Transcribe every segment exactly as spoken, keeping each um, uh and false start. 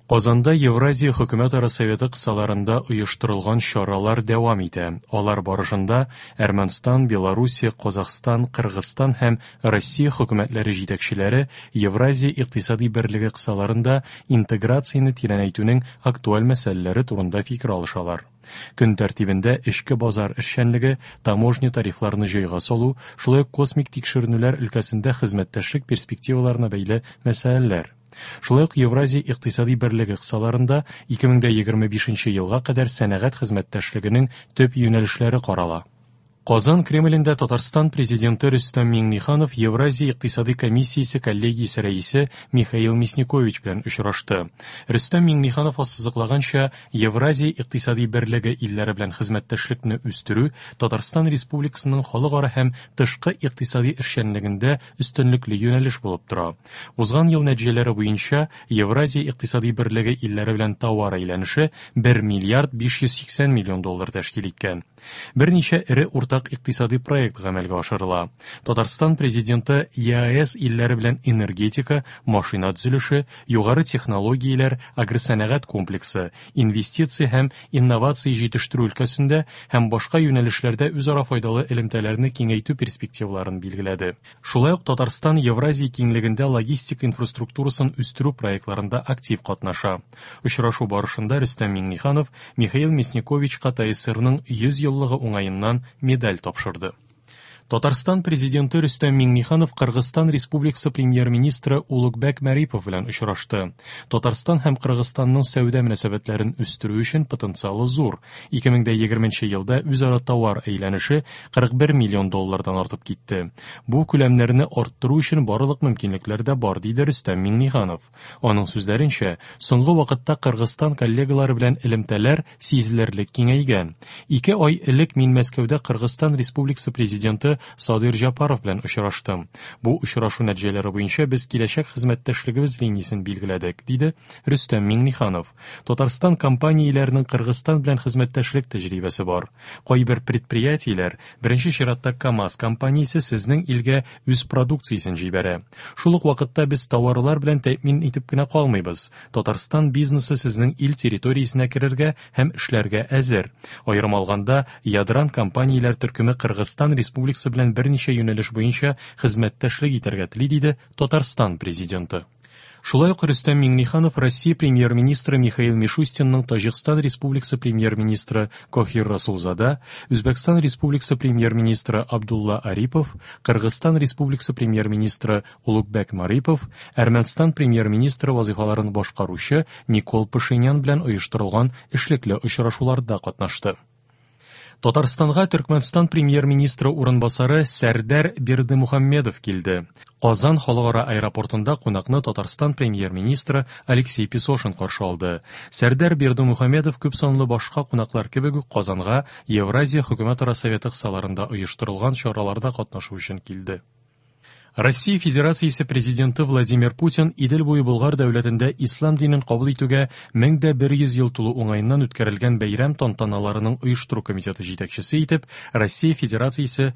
Казанда Евразия хөкүмәтара советы кысаларында оештырылган чаралар дәвам итә. Алар барышында Әрмәнстан, Белоруссия, Казахстан, Кыргызстан һәм Россия хөкүмәтләре җитәкчеләре Евразия икътисади берлеге кысаларында интеграцияне тирәнәйтүнең актуаль мәсьәләләре турында фикер алышалар. Көн тәртибендә эчке базар эшчәнлеге, таможня тарифларны җайга салу, шулай ук космик тикшеренүләр өлкәсендә хезмәттәшлек перспективаларына бәйле мәсьәләләр. Шулай ук Евразия икътисади берлеге кысаларында ике мең егерме бишенче елга кадәр сәнәгать хезмәттәшлегенең төп юнәлешләре карала. Казан Кремлендә Татарстан президенты Рөстәм Миңнеханов Евразия икътисади комиссиясе коллегиясе рәисе Михаил Мясникович белән очрашты. Рөстәм Миңнеханов ассызыклаганча, Евразия икътисади берлеге илләре белән хезмәттәшлекне үстерү Татарстан Республикасының халыкара һәм тышкы икътисади эшчәнлегендә өстенлекле юнәлеш булып тора. Узган ел нәтиҗәләре буенча Евразия икътисади берлеге илләре белән товар әйләнеше бер миллиард биш йөз сиксән миллион доллар тәшкил иткән. Берничә эре уртак икътисади проект гамәлгә ашырыла. Татарстан президенты ЕАЭС илләре белән энергетика, машина төзелеше, югары технологияләр, агросәнәгать комплексы, инвестиция һәм инновация җитештерү өлкәсендә һәм башка юнәлешләрдә үзара файдалы элемтәләрне киңәйтү перспективаларын билгеләде. Шулай ук Татарстан Евразия киңлегендә логистика инфраструктурасын үстерү проектларында актив катнаша. Очрашу барышында Рөстәм Миңнеханов Михаил Мясниковичка ТАССРның йөз еллыгы уңаеннан медаль тапшырды. Татарстан президенты Рөстәм Миңнеханов Кыргызстан Республикасы премьер-министры Улугбек Марипов белән очрашты. Татарстан һәм Кыргызстанның сәүдә мөнәсәбәтләрен үстерү өчен потенциалы зур. Ике мең егерменче елда үзара товар әйләнеше кырык бер миллион доллардан артып китте. Бу күләмнәрне арттыру өчен барлык мөмкинлекләр дә бар, диде Рөстәм Миңнеханов. Аның сүзләренчә, соңгы вакытта Кыргызстан коллегалары белән элемтәләр сизелерлек киңәйгән. Ике ай элек мин Мәскәүдә Кыргызстан Республикасы президенты Садыр Жапаров белән очраштым. Бу очрашу нәтиҗәләре буенча без киләчәк хезмәттәшлегебез линиясен билгеләдек, диде Рөстәм Миңнеханов. Татарстан компанияләренең Кыргызстан белән хезмәттәшлек тәҗрибәсе бар. Кайбер предприятиеләр, беренче чиратта КАМАЗ компаниясе сезнең илгә үз продукциясен җибәрә. Шул ук вакытта без товарлар белән тәэмин итеп кенә калмыйбыз. Татарстан бизнесы сезнең ил территориясенә керергә һәм эшләргә әзер. Аерым алганда, Ядран компанияләр төркеме Кыргызстан Республикасы белән берничә юнәлеш буенча хезмәттәшлек итәргә тели, диде Татарстан президенты. Шулай ук Рөстәм Миңнеханов Россия премьер-министры Михаил Мишустинның Таҗикстан Республикасы премьер-министры Кохир Расулзада, Үзбәкстан Республикасы премьер-министры Абдулла Арипов, Кыргызстан Республикасы премьер-министры Улугбек Марипов, Әрмәнстан премьер-министры вазифаларын башкаручы Никол Пашинян белән оештырылган эшлекле очрашуларда катнашты. Татарстанга Төркмәнстан премьер-министры урынбасары Сәрдәр Бердымухаммедов килде. Казан халыкара аэропортында кунакны Татарстан премьер-министры Алексей Песошин каршы алды. Сәрдәр Бердымухаммедов күп санлы башка кунаклар кебек үк Казанга Евразия хөкүмәтара советы кысаларында оештырылган чараларда катнашу өчен килде. Россия Федерациясе президенты Владимир Путин Идел буе Болгар дәүләтендә ислам динен кабул итүгә мең дә бер йөз ел тулу уңаеннан үткәрелгән бәйрәм тантаналарының оештыру комитеты җитәкчесе итеп Россия Федерациясе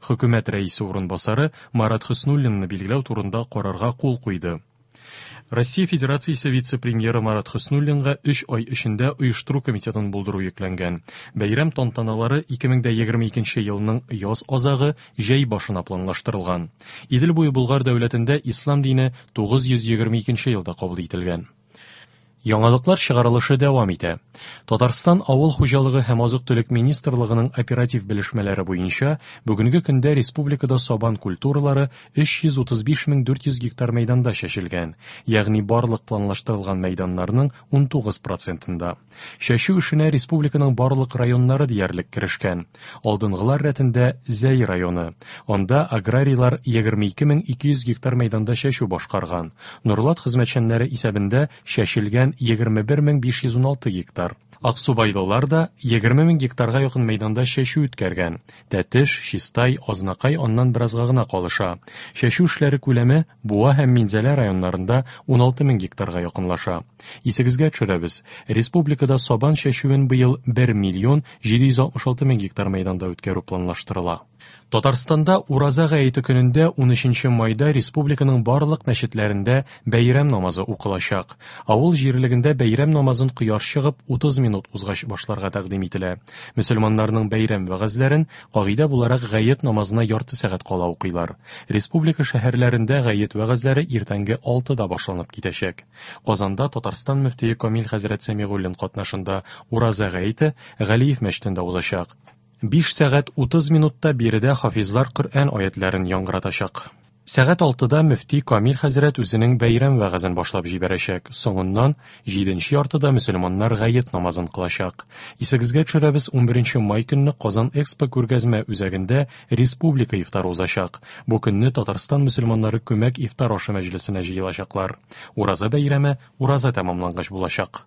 хөкүмәт рәисе урынбасары Марат Хөснуллинны билгеләү турында карарга кул куйды. Россия Федерациясе вице-премьеры Марат Хөснуллинга өч ай эчендә оештыру комитетын булдыру йөкләнгән. Бәйрәм тантаналары ике мең егерме икенче елның яз азагы җәй башына планлаштырылган. Идел буе Болгар дәүләтендә ислам дине тугыз йөз егерме икенче елда кабул ителгән. Яңалыклар чыгарылышы дәвам итә. Татарстан Авыл хуҗалыгы һәм азык-төлек министрлыгының оператив белешмәләре буенча бүгенге көндә республикада сабан культуралары өч йөз утыз биш мең дүрт йөз гектар мәйданда чәчелгән, ягъни барлык планлаштырылган мәйданнарның ун тугыз процентында. Чәчү эшенә республиканың барлык районнары диярлек керешкән. Алдынгылар рәтендә Зәй районы. Анда аграрийлар егерме ике мең ике йөз гектар мәйданда чәчү башкарган. Нурлат хезмәтчәннәре исәбендә чәчелгән егерме бер мең биш йөз ун алты гектар. Аксубайлылар да егерме мең гектарга якын мәйданда чәчү үткәргән. Тәтеш, Чистай, Азнакай аннан беразга гына калыша. Чәчү эшләре күләме Буа һәм Минзәлә районнарында ун алты мең гектарга якынлаша. Исегезгә төшерәбез, республикада сабан чәчүен быел бер миллион җиде йөз алтмыш алты мең гектар мәйданда үткәрү планлаштырыла. Татарстанда Ураза гаете көнендә унөченче майда республиканың барлык мәчетләрендә бәйрәм намазы укылачак. Авыл җирлегендә бәйрәм намазын кояш чыгып утыз минут узгач башларга тәкъдим ителә. Мөселманнарның бәйрәм вәгазьләрен кагыйдә буларак гает намазына ярты сәгать кала укыйлар. Республика шәһәрләрендә гает вәгазьләре иртәнге алтыда башланып китәчәк. Казанда Татарстан мөфтие Камил хәзрәт Сәмигуллин катнашында Ураза гаете Галиев мәчетендә узачак. Биш сәгать утыз минутта биредә хафизлар Коръән аятларын яңгыратачак. Сәгать алтыда мөфти Камил хәзрәт үзенең бәйрәм вәгазен башлап җибәрәчәк. Соңыннан җиденче яртыда мөселманнар гает намазын кылачак. Исегезгә төшерәбез, унберенче май көнне Казан Экспо күргәзмә үзәгендә республика ифтары узачак. Бу көнне Татарстан мөселманнары күмәк ифтар ашы мәҗлесенә җыелачаклар. Ураза бәйрәме ураза тәмамлангач булачак.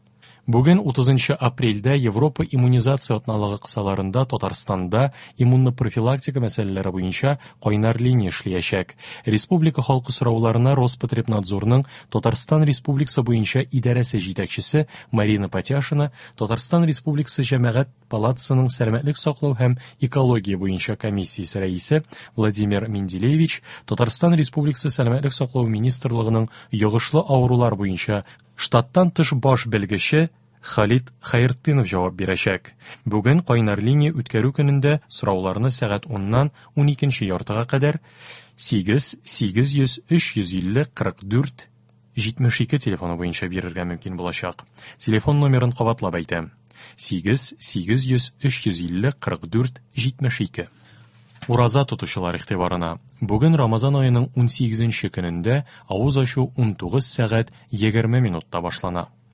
Бүген утызынчы апрельдә Европа иммунизация атналыгы кысаларында Татарстанда иммунопрофилактика мәсьәләләре буенча кайнар линия эшләячәк. Республика халкы сорауларына Роспотребнадзорның Татарстан Республикасы буенча идарәсе җитәкчесе Марина Патяшина, Татарстан Республикасы Җәмәгать палатасының сәламәтлек саклау һәм экология буенча комиссиясе рәисе Владимир Менделевич, Татарстан Республикасы Сәламәтлек саклау министрлыгының йогышлы авырулар буенча штаттан тыш баш белгече Халид Хайртдинов җавап бирәчәк. Бүген кайнар линия үткәрү көнендә сорауларны сәгать уннан уникенче яртыга кадәр сигез сигез йөз өч йөз илле кырык дүрт җитмеш ике телефоны буенча бирергә мөмкин булачак. Телефон номерын кабатлап әйтәм: сигез сигез йөз өч йөз илле кырык дүрт җитмеш ике. Ураза тотучылар игътибарына. Бүген Рамазан аеның унсигезенче көнендә авыз ачу унтугыз сәгать егерме минутта башлана.